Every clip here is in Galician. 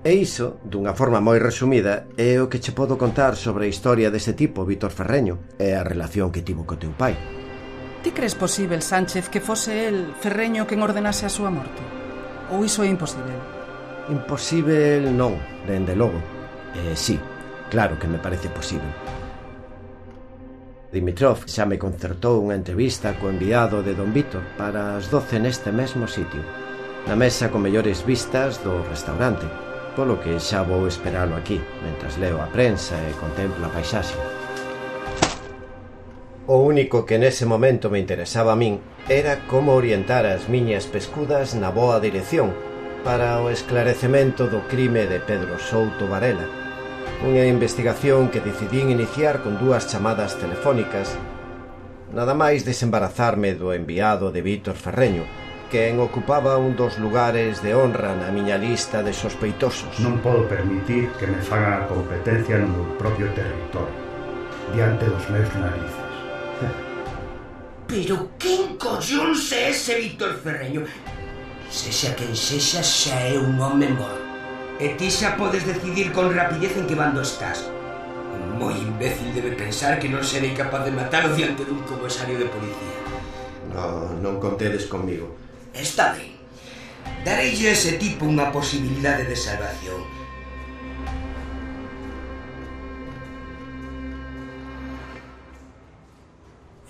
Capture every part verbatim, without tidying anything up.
E iso, dunha forma moi resumida, é o que che podo contar sobre a historia deste tipo, Víctor Ferreño, e a relación que tivo co teu pai. Ti crees posível, Sánchez, que fose el, Ferreño, quen ordenase a súa morte? Ou iso é imposible? Imposível non, dende logo. Eh, sí, claro que me parece posible. Dimitrov xa me concertou unha entrevista co enviado de don Víctor para as doce neste mesmo sitio, na mesa con mellores vistas do restaurante, polo que xa vou esperalo aquí, mentras leo a prensa e contemplo a paisaxe. O único que nese momento me interesaba a min era como orientar as miñas pescudas na boa dirección para o esclarecemento do crime de Pedro Souto Varela, unha investigación que decidín iniciar con dúas chamadas telefónicas, nada máis desembarazarme do enviado de Víctor Ferreño, quen ocupaba un dos lugares de honra na miña lista de sospeitosos. Non podo permitir que me fagan a competencia no meu propio territorio, diante dos meus narices. Pero quen collóns é ese Víctor Ferreño? Sexa quen sexa, xa é un home morto. E ti xa podes decidir con rapidez en que bando estás. Un moi imbécil debe pensar que non serei capaz de matalo diante dun comisario de policía. No, non contedes comigo. Está ben. Dareille a ese tipo unha posibilidade de salvación.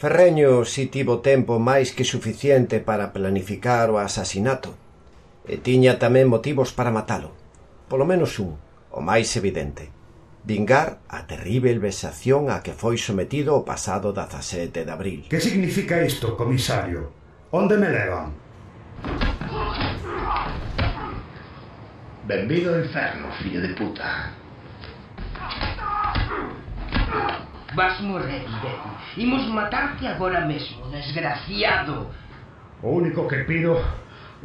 Ferreño si tivo tempo máis que suficiente para planificar o asasinato, e tiña tamén motivos para matalo. Polo menos un, o máis evidente: vingar a terrível vexación a que foi sometido o pasado dezasete de abril. Que significa isto, comisario? Onde me levan? Benvido ao inferno, fillo de puta. Vas morrer, imbécil. Imos matarte agora mesmo, desgraciado. O único que pido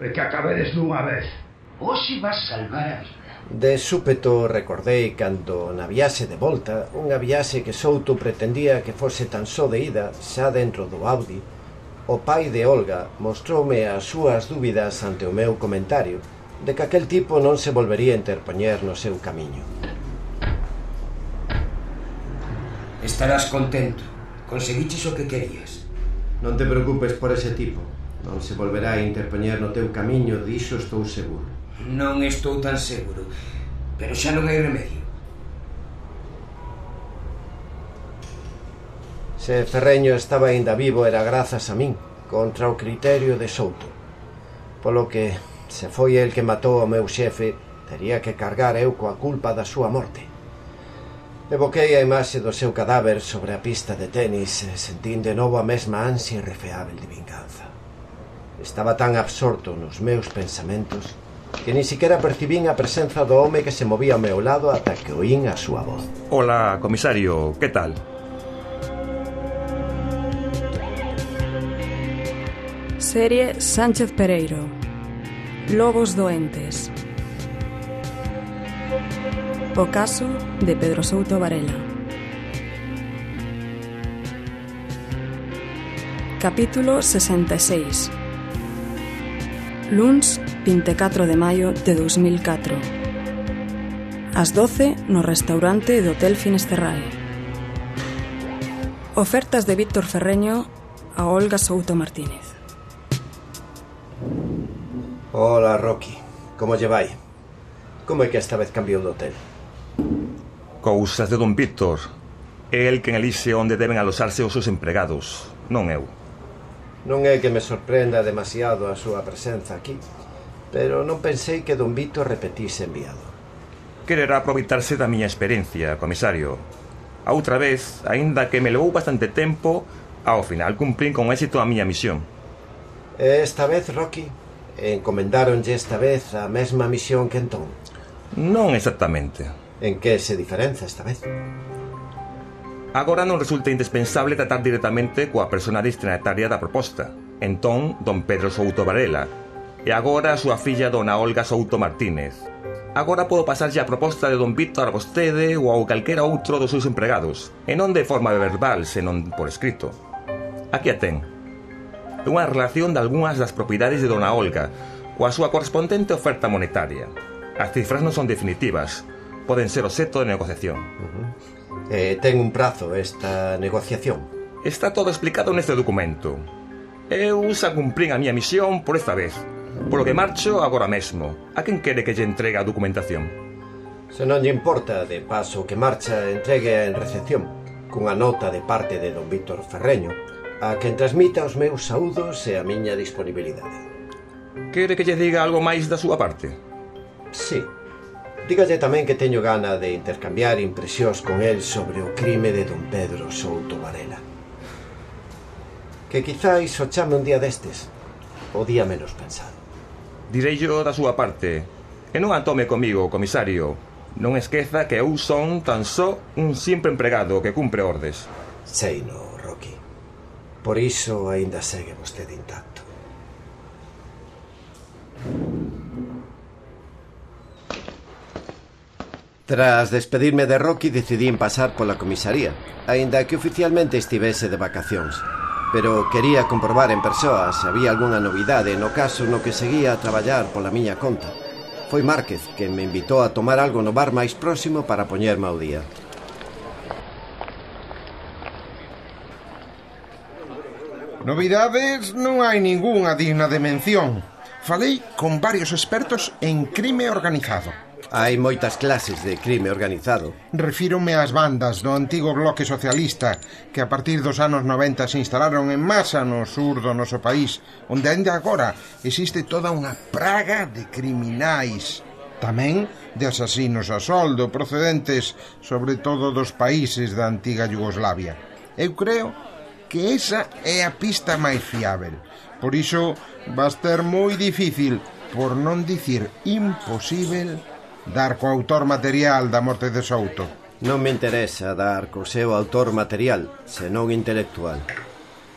é que acabedes dunha vez. Hoxe vas salvar a vida. De súpeto recordei cando na viaxe de volta, unha viaxe que Souto pretendía que fose tan só de ida, xa dentro do Audi, o pai de Olga mostroume as súas dúbidas ante o meu comentario de que aquel tipo non se volvería a interpoñer no seu camiño. Estarás contento. Conseguiches o que querías. Non te preocupes por ese tipo. Non se volverá a interpoñer no teu camiño, diso estou seguro. Non estou tan seguro, pero xa non hai remedio. Se Ferreño estaba aínda vivo era grazas a min, contra o criterio de Souto. Polo que, se foi el que matou o meu xefe, tería que cargar eu coa culpa da súa morte. Evoquei a imaxe do seu cadáver sobre a pista de tenis e sentín de novo a mesma ansia irrefreável de vinganza. Estaba tan absorto nos meus pensamentos que ni siquiera percibín a presenza do home que se movía ao meu lado ata que oín a súa voz. Hola, comisario, que tal? Serie Sánchez Pereiro. Lobos doentes. O caso de Pedro Souto Varela. Capítulo sesenta e seis. Luns vinte e catro de maio de dos mil catro. As doce no restaurante do Hotel Finisterrae. Ofertas de Víctor Ferreño a Olga Souto Martínez. Hola, Rocky. Como lle vai? Como é que esta vez cambiou de hotel? Cousas de don Víctor. É el quen elixe onde deben alosarse os seus empregados, non eu. Non é que me sorprenda demasiado a súa presenza aquí, pero non pensei que don Víctor repetise enviado. Quererá aproveitarse da miña experiencia, comisario. A outra vez, aínda que me levou bastante tempo, ao final cumprín con éxito a miña misión. E esta vez, Rocky, encomendáronlle esta vez a mesma misión que entón? Non exactamente. En que se diferenza esta vez? Agora non resulta indispensable tratar directamente coa persona destinataria da proposta. Entón, don Pedro Souto Varela. E agora a súa filla, dona Olga Souto Martínez. Agora podo pasarlle a proposta de don Víctor a vostede ou a calquera outro dos seus empregados. E non de forma verbal, senón por escrito. Aquí a ten. É unha relación de algunhas das propiedades de dona Olga, coa súa correspondente oferta monetaria. As cifras non son definitivas. Poden ser obxecto de negociación. Uh-huh. Eh, ten un prazo esta negociación? Está todo explicado neste documento. Eu xa cumprín a miña misión por esta vez, polo que marcho agora mesmo. A quen quere que lle entregue a documentación? Se non lle importa, de paso que marcha, entregue en recepción, cunha nota de parte de don Víctor Ferreño, a quen transmita os meus saúdos e a miña disponibilidade. Quere que lle diga algo máis da súa parte? Sí. Dígalle tamén que teño gana de intercambiar impresións con el sobre o crime de don Pedro Souto Varela. Que quizáis o chame un día destes, o día menos pensado. Direillo da súa parte. E non a tome comigo, comisario. Non esqueza que eu son tan só un simple empregado que cumpre ordes. Sei no, Rocky. Por iso aínda segue vostede intacto. Tras despedirme de Rocky, decidín pasar pola comisaría, aínda que oficialmente estivese de vacacións. Pero quería comprobar en persoa se había algunha novidade no caso no que seguía a traballar pola miña conta. Foi Márquez quen me invitou a tomar algo no bar máis próximo para poñerme ao día. Novidades non hai ningunha digna de mención. Falei con varios expertos en crime organizado. Hai moitas clases de crime organizado. Refírome ás bandas do antigo bloque socialista que a partir dos anos noventa se instalaron en masa no sur do noso país, onde ainda agora existe toda unha praga de criminais. Tamén de asasinos a soldo procedentes sobre todo dos países da antiga Yugoslavia. Eu creo que esa é a pista máis fiável. Por iso va a ser moi difícil, por non dicir imposível, dar co autor material da morte de Souto. Non me interesa dar co seu autor material, senón intelectual.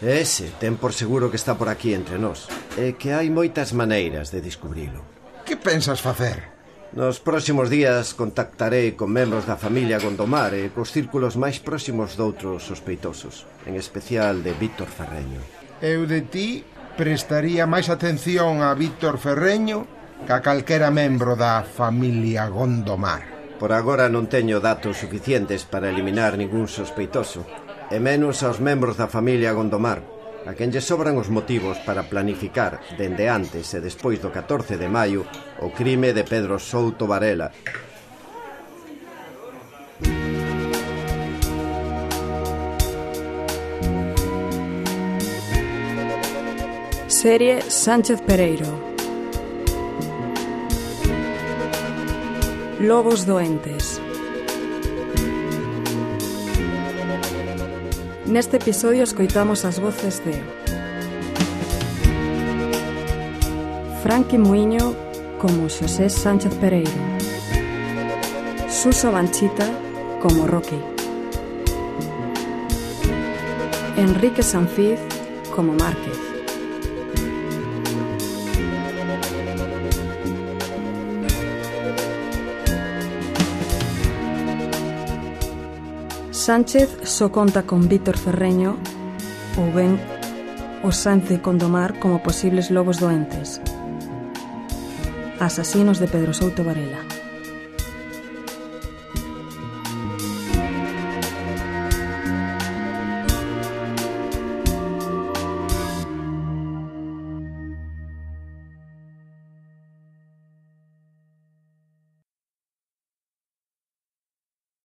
Ese ten por seguro que está por aquí entre nós, e que hai moitas maneiras de descubrilo. Que pensas facer? Nos próximos días contactarei con membros da familia Gondomar e cos círculos máis próximos doutros sospeitosos, en especial de Víctor Ferreño. Eu de ti prestaría máis atención a Víctor Ferreño que a calquera membro da familia Gondomar. Por agora non teño datos suficientes para eliminar ningún sospeitoso, e menos aos membros da familia Gondomar, a quen lle sobran os motivos para planificar, dende antes e despois do catorce de maio, o crime de Pedro Souto Varela. Serie Sánchez Pereiro. Lobos doentes. Neste episodio escoitamos as voces de Franqui Muiño como Xosé Sánchez Pereiro, Suso Banchita como Rocky, Enrique Sanfiz como Márquez, Sánchez só conta con Víctor Ferreño ou ben o Sánchez Gondomar como posibles lobos doentes, asasinos de Pedro Souto Varela.